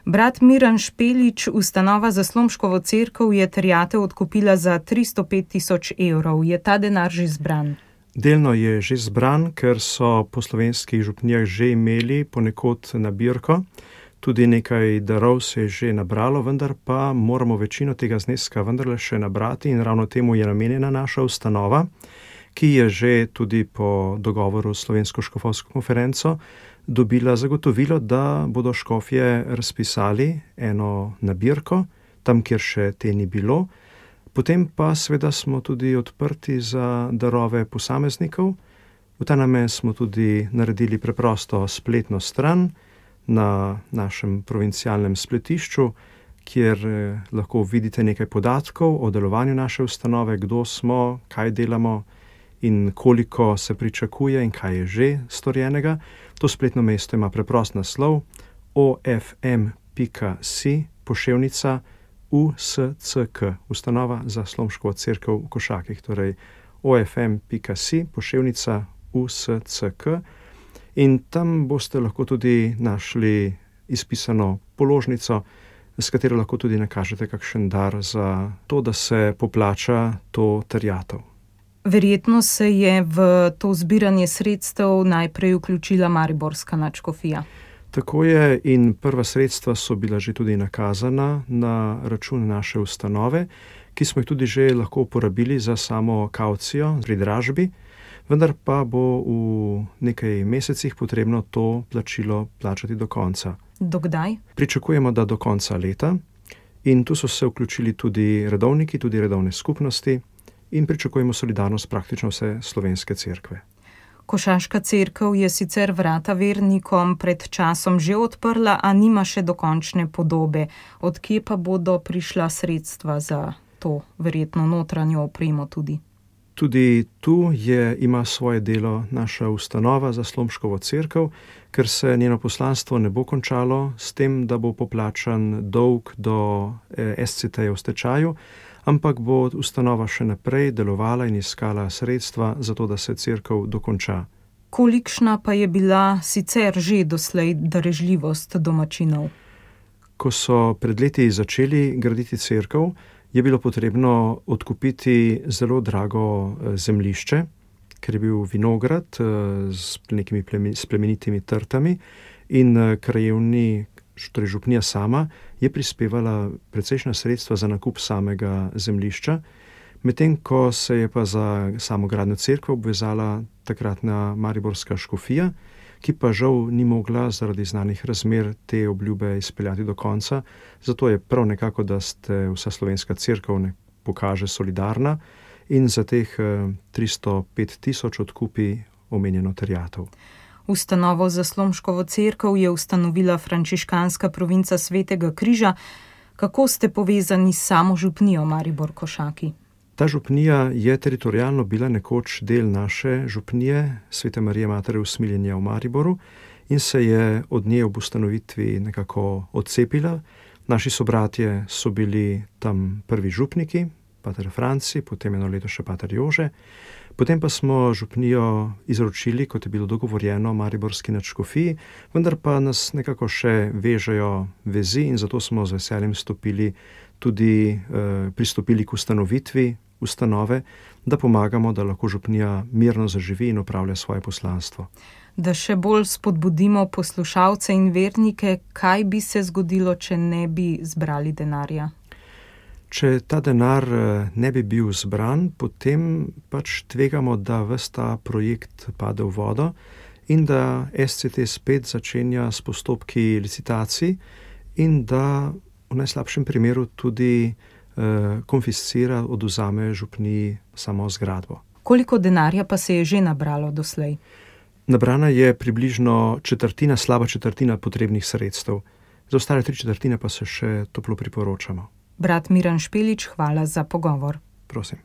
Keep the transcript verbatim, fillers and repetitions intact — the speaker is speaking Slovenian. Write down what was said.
Brat Miran Špelič, ustanova za Slomškovo cerkev, je terjatev odkupila za tristo pet tisoč evrov. Je ta denar že zbran? Delno je že zbran, ker so po slovenskih župnijah že imeli ponekod nabirko. Tudi nekaj darov se je že nabralo, vendar pa moramo večino tega zneska vendarle še nabrati in ravno temu je namenjena naša ustanova, ki je že tudi po dogovoru s Slovensko škofovsko konferenco dobila zagotovilo, da bodo škofje razpisali eno nabirko, tam, kjer še te ni bilo. Potem pa seveda smo tudi odprti za darove posameznikov. V ta namen smo tudi naredili preprosto spletno stran na našem provincialnem spletišču, kjer lahko vidite nekaj podatkov o delovanju naše ustanove, kdo smo, kaj delamo in koliko se pričakuje in kaj je že storjenega. To spletno mesto ima preprost naslov o f m pika si poševnica u s c k, ustanova za Slomškovo cerkev v Košakih, torej o f m pika si poševnica u s c k. In tam boste lahko tudi našli izpisano položnico, s katero lahko tudi nakažete kakšen dar za to, da se poplača to terjatev. Verjetno se je v to zbiranje sredstev najprej vključila mariborska nadškofija. Tako je, in prva sredstva so bila že tudi nakazana na račun naše ustanove, ki smo jih tudi že lahko uporabili za samo kavcijo pri dražbi, vendar pa bo v nekaj mesecih potrebno to plačilo plačati do konca. Do kdaj? Pričakujemo, da do konca leta, in tu so se vključili tudi redovniki, tudi redovne skupnosti in pričakujemo solidarnost praktično vse slovenske cerkve. Košaška cerkev je sicer vrata vernikom pred časom že odprla, a nima še dokončne podobe. Od kje pa bodo prišla sredstva za to verjetno notranjo opremo tudi? Tudi tu je, ima svoje delo naša ustanova za Slomškovo cerkev, ker se njeno poslanstvo ne bo končalo s tem, da bo poplačan dolg do S C T-ja v stečaju, ampak bo ustanova še naprej delovala in iskala sredstva za to, da se cerkev dokonča. Kolikšna pa je bila sicer že doslej darežljivost domačinov? Ko so pred leti začeli graditi cerkev, je bilo potrebno odkupiti zelo drago zemljišče, ker je bil vinograd z nekimi plemenitimi trtami in krajevni, torej župnija sama, je prispevala precejšnja sredstva za nakup samega zemljišča, medtem ko se je pa za samo gradnjo cerkve obvezala takratna mariborska škofija, ki pa žal ni mogla zaradi znanih razmer te obljube izpeljati do konca. Zato je prav nekako, da ste vsa slovenska cerkev ne pokaže solidarna in za teh tristo pet tisoč odkupi omenjeno terjatev. Ustanovo za Slomškovo cerkev je ustanovila frančiškanska provinca Svetega križa. Kako ste povezani s samo župnijo Maribor-Košaki? Ta župnija je teritorialno bila nekoč del naše župnije Svete Marije Matere Usmiljenja v Mariboru in se je od nje ob ustanovitvi nekako odcepila. Naši sobratje so bili tam prvi župniki, pater Franci, potem eno leto še pater Jože. Potem pa smo župnijo izročili, kot je bilo dogovorjeno, mariborski nadškofiji, vendar pa nas nekako še vežejo vezi in zato smo z veseljem stopili tudi eh, pristopili k ustanovitvi ustanove, da pomagamo, da lahko župnija mirno zaživi in opravlja svoje poslanstvo. Da še bolj spodbudimo poslušalce in vernike, kaj bi se zgodilo, če ne bi zbrali denarja? Če ta denar ne bi bil zbran, potem pač tvegamo, da ves ta projekt pade v vodo in da S C T spet začenja s postopki licitacij in da v najslabšem primeru tudi eh, konfiscira, odvzame župniji samo zgradbo. Koliko denarja pa se je že nabralo doslej? Nabrana je približno četrtina, slaba četrtina potrebnih sredstev. Za ostale tri četrtine pa se še toplo priporočamo. Brat Miran Špelič, hvala za pogovor. Prosim.